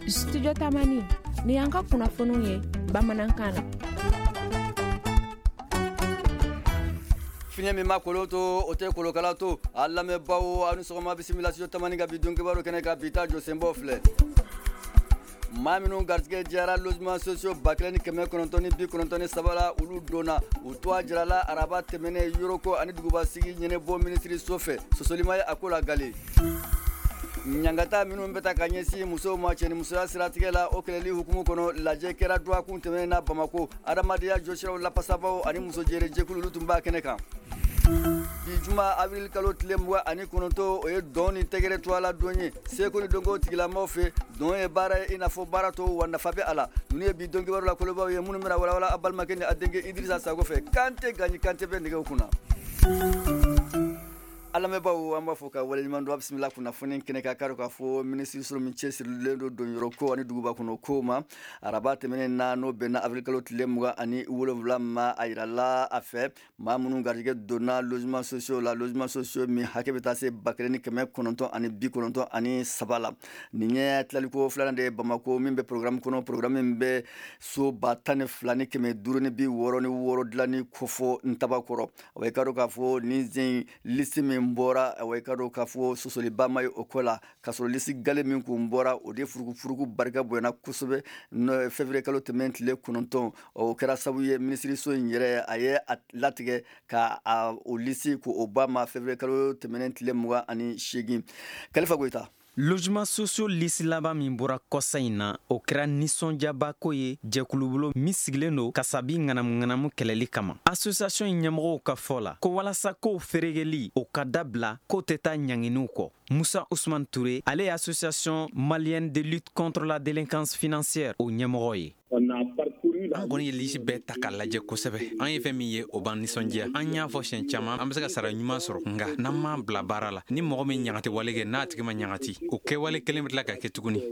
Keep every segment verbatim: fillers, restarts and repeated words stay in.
Studio Tamani ni y'an ka kunnafoniw ye bamanankan na. Fiɲɛ min ma kolo to o tɛ kolokala to. A lamɛnbaaw, aw ni sɔgɔma, bisimila Studio Tamani ka bi don kibaru kɛnɛ kan. Bi ta jɔsenbɔ filɛ: maa minnu garijɛgɛ diyara logement sociaux ba kelen ni kɛmɛ kɔnɔntɔn ni bi kɔnɔntɔn ni saba la, olu donna u tɔgɔ jirala araba tɛmɛnen yɔrɔko ani dugubasigi ɲɛnɛbɔ minisiriso fɛ. Sɔsɔlima ye a ko la gale. Ɲangata minnu bɛ ta ka ɲɛsin musow ma cɛnimusoya siratigɛ la, o kɛlɛli hukumu kɔnɔ, lajɛ kɛra dɔgɔkun tɛmɛnen na Bamako. Adamadenya jɔsiraw lafasabaw ani muso jɛrɛjɛkulu, olu tun b'a kɛnɛ kan. Bi juma avril kalo tile mugan ani kɔnɔntɔn, o ye dɔn ni tɛgɛrɛ tɔgɔ la don ye seko ni dɔnko tigilamɔgɔw fɛ. Dɔn ye baara ye i n'a fɔ baara tɔw, wa nafa bɛ a la. Ninnu ye bi don kibaru la kolobaw ye minnu bɛna walawala a balimakɛ ni a denkɛ Idirisa Sago fɛ. Kante Gaɲi Kante bɛ nɛgɛw kunna. A lamɛnbaaw, an b'a fɔ ka waleɲuman dɔn. A bisimila kunnafoni kɛnɛ kan. K'a k'a fɔ minisiriso min cɛsirilen don donyɔrɔ ko ani duguba kɔnɔ ko ma, araba tɛmɛnen na, n'o bɛnna avril kalo tile mugan ani wolonwula ma, a yirala a fɛ maa minnu garijɛgɛ donna logement sociaux la, logement sociaux min hakɛ bɛ taa se ba kelen ni kɛmɛ kɔnɔntɔn ani bi kɔnɔntɔn ani saba la. Nin ye tilaliko filanan de ye Bamako min bɛ programme kɔnɔ, programme min bɛ so ba tan ni fila ni kɛmɛ duuru ni bi wɔɔrɔ ni wɔɔrɔ dilanni kofɔ Ntabakɔrɔ. O ye ka dɔn k'a fɔ nin zen liste min bɔra, o ye ka dɔn k'a fɔ sɔsɔliba ma ye o ko la, k'a sɔrɔ liste gale min kun bɔra, o de furukufuruku barika bonyana kosɛbɛ février kalo tɛmɛn tile kɔnɔntɔn. O kɛra sababu ye minisiriso in yɛrɛ a ye a latigɛ ka a o liste k'o ba ma février kalo tɛmɛnen tile mugan ani seegin. Kalifa Goyita. Logement sociaux liste laban min bɔra kɔsa in na, o kɛra nisɔndiyabako ye jɛkulubolo min sigilen don kasabi ŋanamu-ŋanamu kɛlɛli kama. Association in ɲɛmɔgɔw ka fɔ la ko walasa kow feeregeli o ka dabila, k'o tɛ taa ɲanginiw kɔ. Musa Usman Ture, ale ye Association malienne de lutte contre la délinquance financière o ɲɛmɔgɔ ye. An kɔni ye liste bɛɛ ta k'a lajɛ kosɛbɛ. An ye fɛn min ye, o b'an nisɔndiya. An y'a fɔ siɲɛ caman, an be se ka sara ɲuman sɔrɔ, nga n'an m'a bila baara la, ni mɔgɔ min ɲagati wale kɛ, n'a tigi ma ɲagati, o kɛwale kelen be tila ka kɛ tuguni.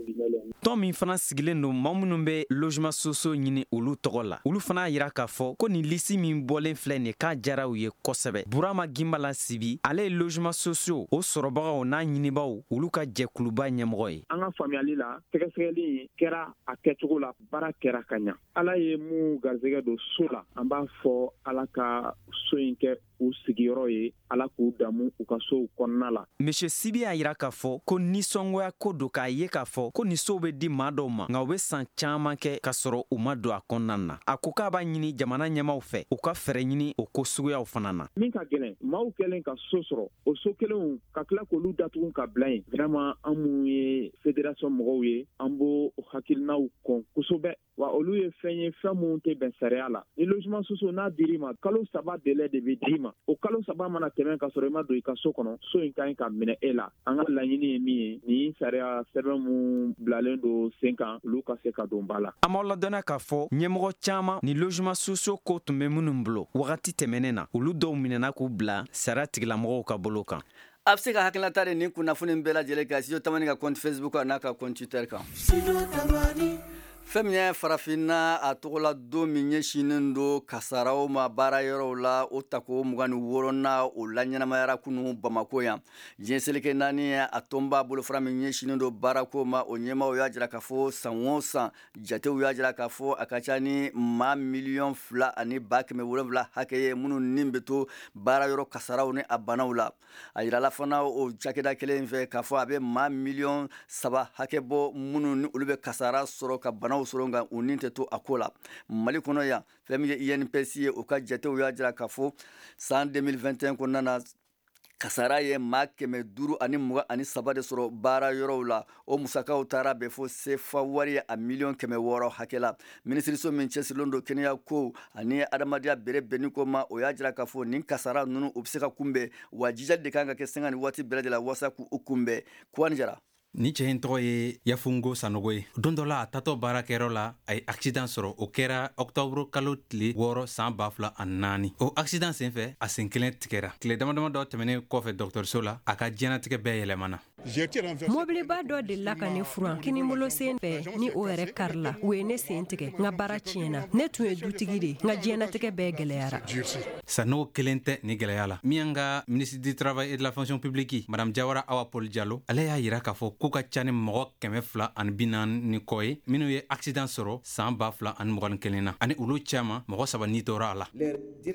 Tɔn min fana sigilen don maa minnu bɛ logement sociaux ɲini olu tɔgɔ la, olu fana y'a yira k'a fɔ ko nin liste min bɔlen filɛ nin, k'a diyara u ye kosɛbɛ. Burama Ginbala Sibi, ale ye logement sociaux o sɔrɔbagaw n'a ɲinibaw olu ka jɛkuluba ɲɛmɔgɔ ye. An ka faamuyali la, sɛgɛsɛgɛli kɛra a kɛcogo la, baara kɛra ka ɲa. Ala ye mun garisɛgɛ don so la, an b'a fɔ Ala ka so in kɛ u sigiyɔrɔ ye, Ala k'u damu u ka sow kɔnɔna la. Monsieur Sibi y'a yira k'a fɔ ko nisɔngoya ko don k'a ye k'a fɔ ko nin sow bɛ di maa dɔw ma, nka u bɛ san caaman kɛ k'a sɔrɔ u ma don a kɔnɔna na. A ko k'a b'a ɲini jamana ɲɛmaw fɛ, u ka fɛɛrɛ ɲini o ko suguyaw fana na. Min ka gɛlɛn, maaw kɛlen ka so sɔrɔ, o so kelenw ka tila k'olu datugu ka bila yen, vraiment, an mun ye fédération mɔgɔw ye, an b'o hakilinaw kɔn kosɛbɛ, wa olu ye fɛn ye, fɛn minnu tɛ bɛn sariya la. Ni logement sociaux n'a dir'i ma, kalo saba délai de bɛ d'i ma. O kalo saba mana tɛmɛ ka sɔrɔ i ma don i ka so kɔnɔ, so in ka ɲi ka minɛ e la. An ka laɲini ye min ye, nin sariya sɛbɛn mun bilalen don sen kan, olu ka se ka don ba la. An b'aw ladɔnniya k'a fɔ ɲɛmɔgɔ caaman ni logement sociaux ko tun bɛ minnu bolo wagati tɛmɛnen na, olu dɔw minɛna k'u bila sariya tigilamɔgɔw ka bolo kan. A bɛ se ka hakilinata de nin kunnafoni bɛɛ lajɛlen kan Studio Tamani ka compte Facebook n'a ka compte Twitter kan. Fɛn min ye farafinna a tɔgɔla don min ɲɛsinnen don kasaraw ma baara yɔrɔw la, o tako mugan ni wɔɔrɔnan, o la ɲɛnamayara kunu Bamako yan. Diɲɛ seleke naani a tɔnba bolofara min ɲɛsinnen don baarako ma, o ɲɛmaw y'a jira k'a fɔ san o san, jatew y'a jira k'a fɔ a ka ca ni maa miliyɔn fila ani ba kɛmɛ wolonwula hakɛ ye minnu ni bɛ to baara yɔrɔ kasaraw ni a banaw la. A yirala fana o cakɛda kelen fɛ k'a fɔ a bɛ maa miliyɔn saba hakɛ bɔ minnu ni olu bɛ kasara sɔrɔ ka banaw sɔrɔ, nka u ni tɛ to a ko la. Mali kɔnɔ yan, fɛn min ye I N P S ye, o ka jatew y'a jira k'a fɔ san deux mille vingt et un kɔnɔna na, kasara ye maa kɛmɛ duuru ani mugan ani saba de sɔrɔ baara yɔrɔw la. O musakaw taara bɛn fo sefa wari a miliyɔn kɛmɛ wɔɔrɔ hakɛ la. Minisiriso min cɛsirilen don kɛnɛya ko ani adamadenya bere bɛnni ko ma, o y'a jira k'a fɔ nin kasara ninnu, u bɛ se ka kunbɛn, wa jijali de kan ka kɛ sanga ni waati bɛɛ lajɛlen walasa k'u kunbɛn. Kuwani Jara. Ni cɛ in tɔgɔ ye Yafungo Sanogo ye. Don dɔ la, a tatɔ baarakɛyɔrɔ la, a ye accident sɔrɔ. O kɛra ɔktɔburu kalo tile wɔɔrɔ san ba fila ani naani. O accident sen fɛ, a sen kelen tigɛra. Tile dama dama dɔ tɛmɛnen kɔfɛ dɔgɔtɔrɔso la, a ka diɲɛnatigɛ bɛɛ yɛlɛmana. Mobiliba dɔ delila ka ne furan kinibolo sen fɛ ni o yɛrɛ karila, u ye ne sen tigɛ, n ka baara tiɲɛna. Ne tun ye dutigi de, n ka diɲɛnatigɛ bɛɛ gɛlɛyara. Sanogo kelen tɛ ni gɛlɛya la. Min y'an ka ministre du Travail et de la Fonction publique, Madame Jawara Awa Paul Jalo, ale y'a yira k'a fɔ k'u ka ca ni mɔgɔ kɛmɛ fila ani bi naani ni kɔ ye minnu ye accident sɔrɔ san ba fila ani mugan ni kelen na, ani olu caman mɔgɔ saba ni tora a la.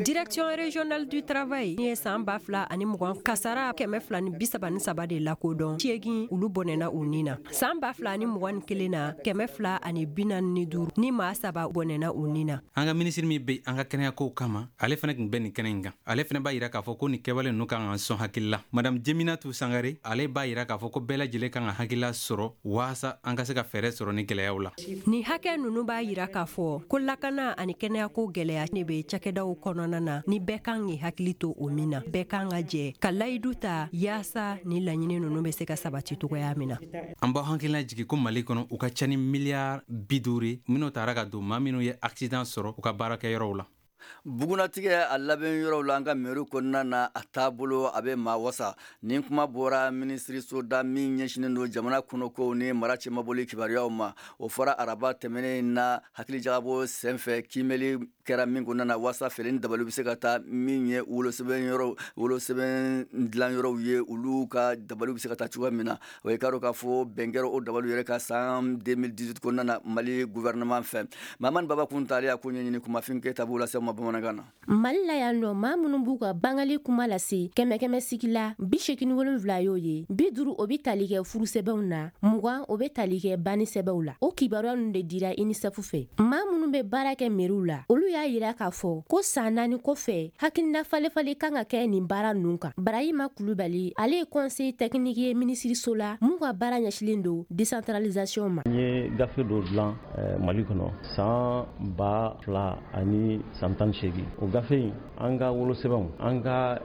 Direction régionale du travail ye san ba fila ani mugan kasara kɛmɛ fila ni bi saba ni saba de lakodɔn, seegin olu bɔnɛna u ni na. San ba fila ani mugan ni kelen na, kɛmɛ fila ani bi naani ni duuru ni maa saba bɔnɛna u ni na. An ka minisiri min bɛ an ka kɛnɛyakow kama, ale fana tun bɛ nin kɛnɛ in kan. Ale fana b'a yira k'a fɔ ko nin kɛwale ninnu kan ka sɔn hakili la. Madame Jeminatu Sangare, ale b'a yira k'a fɔ ko bɛɛ lajɛlen kan ka hakilila sɔrɔ waasa an ka se ka fɛɛrɛ sɔrɔ ni gɛlɛyaw la. Nin hakɛ ninnu b'a yira k'a fɔ ko lakana ani kɛnɛyako gɛlɛya ne bɛ cakɛdaw kɔnɔna na, ni bɛɛ kan k'i hakili to o min na. Bɛɛ kan ka jɛ ka layidu ta yaasa ni laɲini ninnu bɛ se ka sabati cogoya min na. An b'aw hakilina jigin ko Mali kɔnɔ u ka ca ni miliyari bi duuru minnu taara ka don maa minnu ye accident sɔrɔ u ka baarakɛyɔrɔw la. Bugunatigɛ a labɛn yɔrɔw la an ka mairie kɔnɔna na, a taabolo a bɛ maa wasa. Nin kuma bɔra minisiriso da min ɲɛsinnen don jamana kɔnɔkow ni mara cɛmabɔli kibaruyaw ma. O fɔra araba tɛmɛnen na hakilijagabɔ senfɛ kiimɛli kɛra min kɔnɔna na waasa feere ni dabali bɛ se ka taa min ye wolosɛbɛn yɔrɔ wolosɛbɛn dilan yɔrɔw ye, olu ka dabali bɛ se ka taa cogoya min na. O ye k'a dɔn k'a fɔ bɛn kɛra o dabali yɛrɛ ka san deux mille dix-huit kɔnɔna na Mali gouvernement fɛ. Mamani Baba Kuntale y'a ko ɲɛɲini kumafin Keyita b'o lase ma bamanankan na. Mali la yan nɔ, maa minnu b'u ka bangali kuma lase kɛmɛ kɛmɛ sigi la, bi seegin ni wolonwula y'o ye, bi duuru o bɛ tali kɛ furusɛbɛnw na, mugan o bɛ tali kɛ banni sɛbɛnw la. O kibaruya ninnu de dira UNICEF fɛ. Maa minnu bɛ baara kɛ meriw la, olu y'a yira k'a fɔ ko san naani kɔfɛ hakilina falefale kan ka kɛ nin baara ninnu kan. Barahima Kulubali, ale ye conseiller technique ye minisiriso la mun ka baara ɲɛsilen don décentralisation ma. N ye gafe dɔ dilan Mali kɔnɔ san ba fila ani san tan ni seegin. O gafe in, an ka wolosɛbɛnw, an ka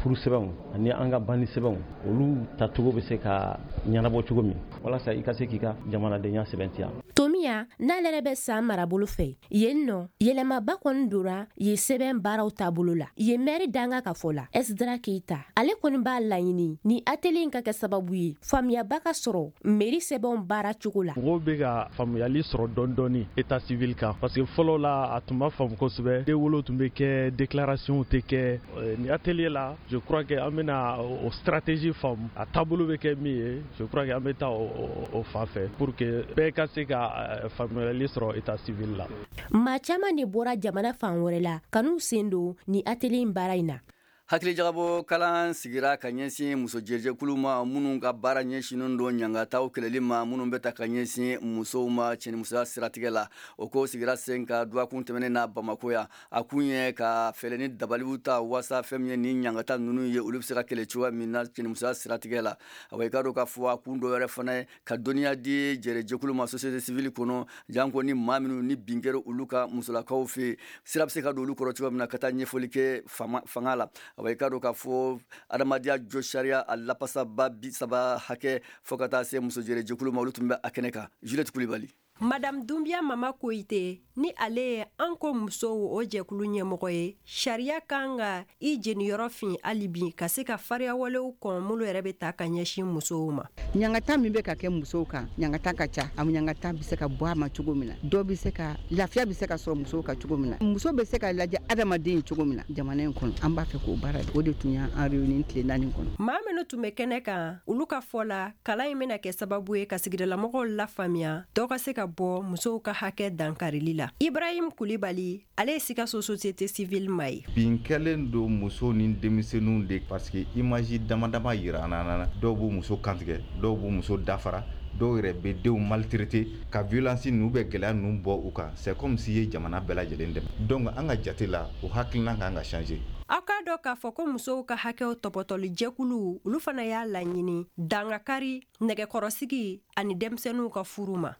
furusɛbɛnw ani an ka banni sɛbɛnw, olu tacogo bɛ se ka ɲɛnabɔ cogo min walasa i ka se k'i ka jamanadenya sɛbɛntiya. Tomiya n'ale yɛrɛ bɛ san marabolo fɛ yen nɔ, yɛlɛmaba kɔni donna yen sɛbɛn baaraw taabolo la. Yen mɛri danga ka fɔ la, Esdra Keita, ale kɔni b'a laɲini ni atelier in ka kɛ sababu ye faamuyaba ka sɔrɔ mɛri sɛbɛnw baara cogo la. Mɔgɔw bɛ ka faamuyali sɔrɔ dɔɔni dɔɔni état civil kan, parce que fɔlɔ la a tun ma faamu kosɛbɛ. Denwolo tun bɛ kɛ, déclaration tɛ kɛ. Ni atelier la, je crois que an bɛna o stratégie faamu, a taabolo bɛ kɛ min ye, je crois que an bɛ taa o fan fɛ pour que bɛɛ ka se ka faamuyali sɔrɔ état civil la. Maa caman de bɔra jamana fan wɛrɛ la ka n'u sen don ni atelier in baara in na. Hakilijagabɔ kalan sigira ka ɲɛsin muso jɛjɛkulu ma minnu ka baara ɲɛsinnen don ɲangataw kɛlɛli ma, minnu bɛ ta ka ɲɛsin musow ma cɛnimusoya siratigɛ la. O ko sigira sen ka dɔgɔkun tɛmɛnen na Bamakɔ yan. A kun ye ka fɛɛrɛ ni dabaliw ta waasa fɛn min ye ni ɲangata ninnu ye, olu bɛ se ka kɛlɛ cogoya min na cɛnimusoya siratigɛ la. Awa i k'a dɔn k'a fɔ a kun dɔ wɛrɛ fana ye ka dɔnniya di jɛrɛjɛkulu ma société civile kɔnɔ, janko ni maa minnu ni bin kɛra olu ka musolakaw fɛ, sira bɛ se ka don olu kɔrɔ cogoya min na ka taa ɲɛfɔli kɛ fanga la. Awa i k'a dɔn k'a fɔ adamadenya jɔ sariya a lapasaba bi saba hakɛ fo ka taa se muso jɛrɛjɛkulu ma, olu tun bɛ a kɛnɛ kan. Juliette Kulibali. Madame Doumbia Mama Koyite, ni ale ye an ko musow o jɛkulu ɲɛmɔgɔ ye, sariya kan ka i jeniyɔrɔ fin hali bi ka se ka fariyawalew kɔn minnu yɛrɛ bɛ ta ka ɲɛsin musow ma. Ɲangata min bɛ ka kɛ musow kan, ɲangata ka ca. A ɲangata bɛ se ka bɔ a ma cogo min na, dɔ bɛ se ka lafiya bɛ se ka sɔrɔ musow kan cogo min na, muso bɛ se ka lajɛ adamaden cogo min na jamana in kɔnɔ. An b'a fɛ k'o baara o de tun y'an réuni tile naani kɔnɔ. Maa minnu tun bɛ kɛnɛ kan, olu ka fɔ la, kalan in bɛna kɛ sababu ye ka sigidalamɔgɔw lafaamuya dɔ ka se ka bɔ musow ka hakɛ dankarili la. Ibrahim Kulibali, ale ye Sikaso société civile ma ye. Bin kɛlen don muso ni denmisɛnninw de, parce que image dama dama yira an na. Dɔw b'u muso kantigɛ, dɔw b'u muso dafara, dɔw yɛrɛ bɛ denw maltraité, ka violence ninnu bɛ gɛlɛya ninnu bɔ u kan. C'est comme si ye jamana bɛɛ lajɛlen dɛmɛ. Donc an ka jate la, o hakilina kan ka changer. Aw k'a dɔn k'a fɔ ko musow ka hakɛw tɔpɔtɔli jɛkulu, olu fana y'a laɲini dangakari, nɛgɛkɔrɔsigi ani denmisɛnninw ka furu ma.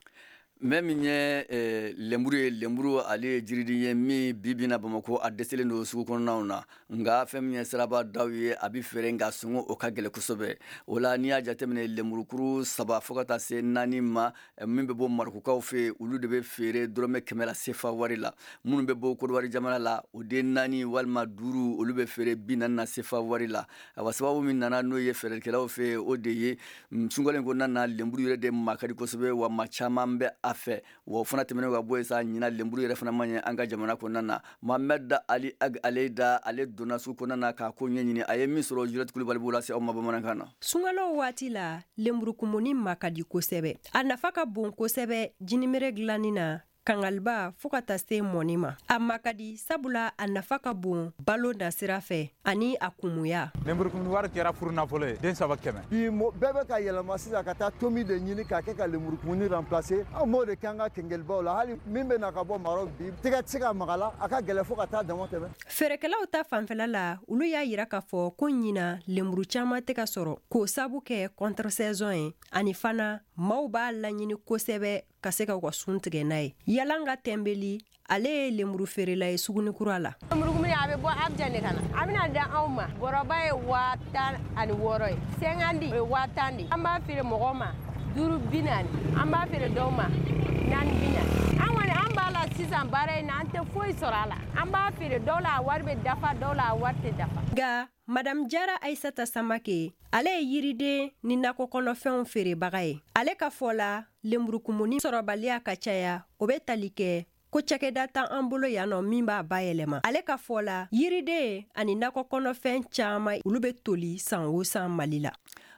Mɛ min ye eh, lenburu ye, lenburu ale ye jiriden ye min bi bi na Bamakɔ a dɛsɛlen don sugu kɔnɔnaw na. Nka fɛn min ye siraba daw ye, a bɛ feere, nka sɔngɔ o ka gɛlɛn kosɛbɛ. O la, n'i y'a jateminɛ, lenburukuru saba fo ka taa se naani ma eh, min bɛ bɔ Marɔkukaw fɛ yen, olu de bɛ feere dɔrɔmɛ kɛmɛ la sefa wari la. Minnu bɛ bɔ Kodowari jamana la, o den naani walima duuru, olu bɛ feere bi naani na sefa wari la. Awa, sababu min nana n'o ye feerelikɛlaw fɛ yen, o de ye mm, sunkalo in kɔnɔna na, lenburu yɛrɛ de ma ka di kosɛbɛ, wa maa caman bɛ a fɛ. Wa o fana tɛmɛnen ka bɔ yen sa, ɲina lenburu yɛrɛ fana ma ɲɛ an ka jamana kɔnɔna na. Mohamed Ali Ag Aleda, ale donna sugu kɔnɔna na k'a ko ɲɛɲini. A ye min sɔrɔ, Juliette Kulibali b'o lase aw ma bamanankan na. Sunkalo waati la, lenburukumuni ma ka di kosɛbɛ. A nafa ka bon kosɛbɛ jinimere dilanni na, kangaliba fɔɔ ka taa se mɔni ma. A ma ka di sabula a nafa ka bon balo nasira fɛ ani a kumuya. Lenburukumuni wari kɛra furu nafolo ye, den saba kɛmɛ. Bi bɛɛ bɛ ka yɛlɛma sisan ka taa tomi de ɲini k'a kɛ ka lenburukumuni remplacer. Anw b'o de kɛ an ka kɛnkɛlibaw la. Hali min bɛ na ka bɔ Maroc, bi tɛgɛ tɛ se ka maga la, a ka gɛlɛn fo ka taa dama tɛmɛ. Feerekɛlaw ta fanfɛla la, olu y'a yira k'a fɔ ko ɲina lemuru caaman tɛ ka sɔrɔ, k'o sabu kɛ contre saison ye, ani fana maaw b'a laɲini kosɛbɛ ka se ka u ka sun tigɛ n'a ye. Yalanga Tɛnbeli, ale ye lemuru feerela ye Sugunikura la. Lenburukumuni a bɛ bɔ Abijan de ka na, a bɛna da anw ma. Bɔrɔba ye waa tan ani wɔɔrɔ ye, cinquante o ye waa tan de. An b'a feere mɔgɔw ma duuru bi naani, an b'a feere dɔw ma naani bi naani. An kɔni an b'a la sisan baara in na, an tɛ foyi sɔrɔ a la. An b'a feere dɔw la, a wari bɛ dafa dɔw la, a wari tɛ dafa. Nka Madame Jara Aisata Samake, ale ye yiriden ni nakɔ kɔnɔfɛnw feerebaga ye. Ale ka fɔ la, lenburukumuni sɔrɔbaliya ka caya, o bɛ tali kɛ ko cakɛda tan an bolo yan nɔ min b'a bayɛlɛma. Ale ka fɔ la, yiriden ani nakɔ kɔnɔfɛn caaman, olu bɛ toli san o san Mali la.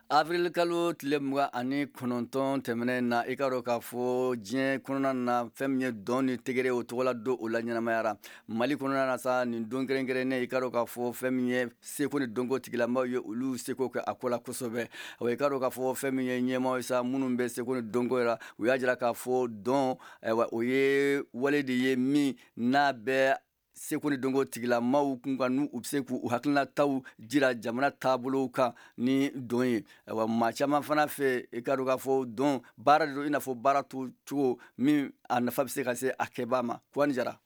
Avril kalo tile mugan ani kɔnɔntɔn tɛmɛnen na, i ka dɔn k'a fɔ diɲɛ kɔnɔna na, fɛn min ye dɔn ni tɛgɛrɛ, o tɔgɔla don o la ɲɛnamayara Mali kɔnɔna na sa. Nin don kɛrɛnkɛrɛnnen, i ka dɔn k'a fɔ fɛn min ye seko ni dɔnko tigilamaw ye, olu seko kɛ a ko la kosɛbɛ. Wa i ka dɔn k'a fɔ fɛn min ye ɲɛmaaw ye sa, minnu bɛ seko ni dɔnko la, u y'a jira k'a fɔ dɔn, ayiwa, o ye wale de ye min n'a bɛ seko ni dɔnko tigilamaw kun kan, n'u u bɛ se k'u hakilinataw jira jamana taabolow kan ni dɔn ye. Ayiwa, maa caman fana fɛ, i ka dɔn k'a fɔ dɔn baara de don, i n'a fɔ baara to cogo min a nafa bɛ se ka se a kɛbaa ma. Kuwani Jara.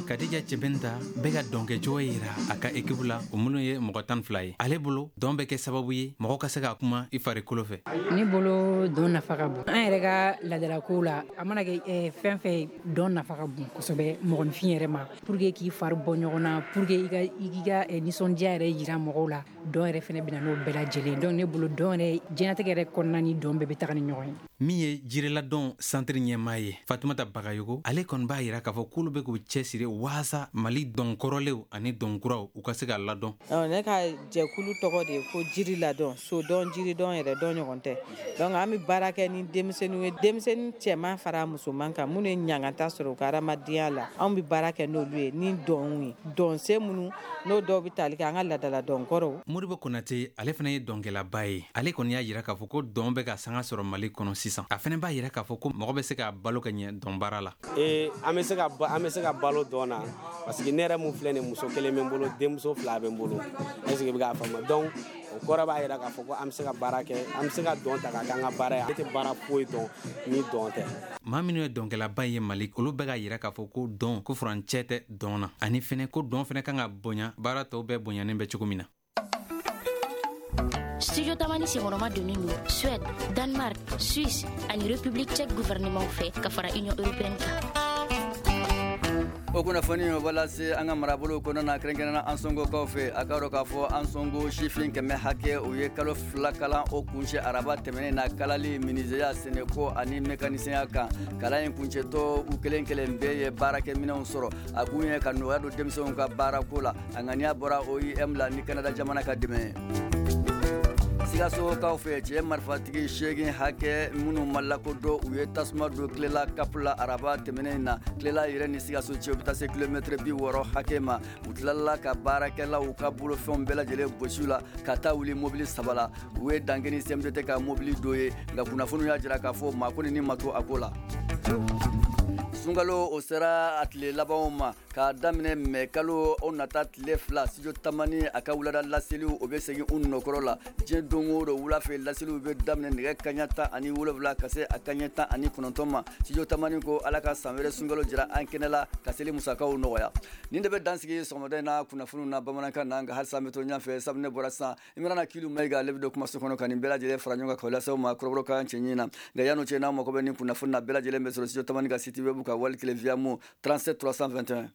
Kadija Cɛbɛnta bɛ ka dɔnkɛcogo yira a ka ekipu la, o minnu ye mɔgɔ tan fila ye. Ale bolo, dɔn bɛ kɛ sababu ye mɔgɔ ka se ka kuma i farikolo fɛ. Ne bolo, dɔn nafa ka bon an yɛrɛ ka laadalakow la. A mana kɛ fɛn fɛn, dɔn nafa ka bon kosɛbɛ mɔgɔninfin yɛrɛ ma, pour que k'i fari bɔ ɲɔgɔn na, pour que i ka i k'i ka nisɔndiya yɛrɛ yira mɔgɔw la. Dɔn yɛrɛ fɛnɛ bɛna n'o bɛɛ lajɛlen. Donc ne bolo, dɔn yɛrɛ, diɲɛlatigɛ yɛrɛ kɔnɔna ni dɔn bɛɛ bɛ taga ni ɲɔgɔn ye. Min ye jiriladɔn santiri ɲɛmaa ye, Fatumata Bagayogo, ale kɔni b'a yira k'a fɔ k'olu bɛ k'u cɛsiri waasa Mali dɔnkɔrɔlenw ani dɔnkuraw, u ka se ka ladɔn. Ne ka jɛkulu tɔgɔ de ye ko jiri ladɔn, sodɔn, jiridɔn yɛrɛ dɔn ɲɔgɔn tɛ. Donc an bɛ baara kɛ ni denmisɛnninw ye, denmisɛnnin cɛman fara musoman kan, minnu ye ɲangata sɔrɔ u ka hadamadenya la. Anw bɛ baara kɛ n'olu ye ni dɔnw ye, dɔnsen minnu n'o dɔw bɛ tali kɛ an ka laadala dɔnkɔrɔw. Modibo Konate, ale fana ye dɔnkɛlaba ye. Ale kɔni y'a yira k'a fɔ ko dɔn bɛ ka sanga sɔrɔ Mali kɔnɔ sisan. A fana b'a yira k'a fɔ ko mɔgɔ bɛ se ka balo ka ɲɛ dɔnbaara la. Ee, an bɛ se ka an bɛ se ka balo dɔn na, parce que ne yɛrɛ mun filɛ nin, muso kelen bɛ n bolo, denmuso fila bɛ n bolo. Est ce que i bɛ k'a faamu? Donc o kɔrɔ b'a jira k'a fɔ ko an bɛ se ka baara kɛ, an bɛ se ka dɔn ta k'a kɛ an ka baara ye. Ne tɛ baara foyi dɔn ni dɔn tɛ. Maa minnu ye dɔnkɛlaba ye Mali, olu bɛ ka yira k'a fɔ ko dɔn, ko furancɛ tɛ dɔn na, ani fɛnɛ ko dɔn fɛnɛ kan ka bonya baara tɔw bɛɛ bonyanen bɛ cogo min na. Studio Tamani senkɔrɔma donnen don Suède, Danemark, Suisse ani République tchèque gouvernement fɛ ka fara Union européenne kan. O kunnafoni o b'a lase an ka marabolo kɔnɔna na, kɛrɛnkɛrɛnnenya Ansongokaw fɛ. A ka dɔn k'a fɔ Ansongo sifin kɛmɛ hakɛ, o ye kalo fila kalan o kuncɛ araba tɛmɛnen na, kalali minizeya, sɛnɛko ani mekanisɛnya kan. Kalan in kuncɛtɔ, u kelen kelen bɛɛ ye baarakɛminɛnw sɔrɔ. A kun ye ka nɔgɔya don denmisɛnw ka baarako la. A ŋaniya bɔra O I M la ni Kanada jamana ka dɛmɛ ye. Sikasokaw fɛ, cɛ marifatigi seegin hakɛ minnu ma lakodɔn, u ye tasuma don Kilela Kapu la araba tɛmɛnen na. Kilela yɛrɛ ni Sikaso cɛ, u bɛ taa se kilomɛtɛrɛ bi wɔɔrɔ hakɛ ma. U tilala ka baarakɛlaw ka bolofɛnw bɛɛ lajɛlen gosi la ka taa wuli mobili saba la. U ye dankɛ C M D T ka mobili dɔ ye, nka kunnafoniw y'a jira k'a fɔ maa kɔni ni ma to a ko la. Sunkalo o sera a tile labanw ma k'a daminɛ mɛ kalo o nata tile fila, Studio Tamani a ka wulada laseliw o bɛ segin u nɔkɔrɔ la. Diɲɛ don o don wula fɛ, laseliw bɛ daminɛ nɛgɛ kaɲa tan ani wolonwula ka se a kaɲɛ tan ani kɔnɔntɔn ma. Studio Tamani ko Ala ka san wɛrɛ sunkalo jira an kɛnɛ la ka seli musakaw nɔgɔya. Nin de bɛ dansigi sɔgɔmada in na kunnafoniw na bamanankan na. Nka halisa an bɛ to ɲɛfɛ sabu ne bɔra sisan, Imrana Kilu Mayiga, ale bɛ don kumaso kɔnɔ ka nin bɛɛ lajɛlen fara ɲɔgɔn kan k'o lase aw ma kɔrɔbɔrɔkan cɛɲi na. Nka yan'o cɛ, n'aw mago bɛ nin kunnafoni na, bɛɛ lajɛlen bɛ sɔrɔ Studio Tamani ka site web kan, wali kelen Viamo trente-sept trois cent vingt et un.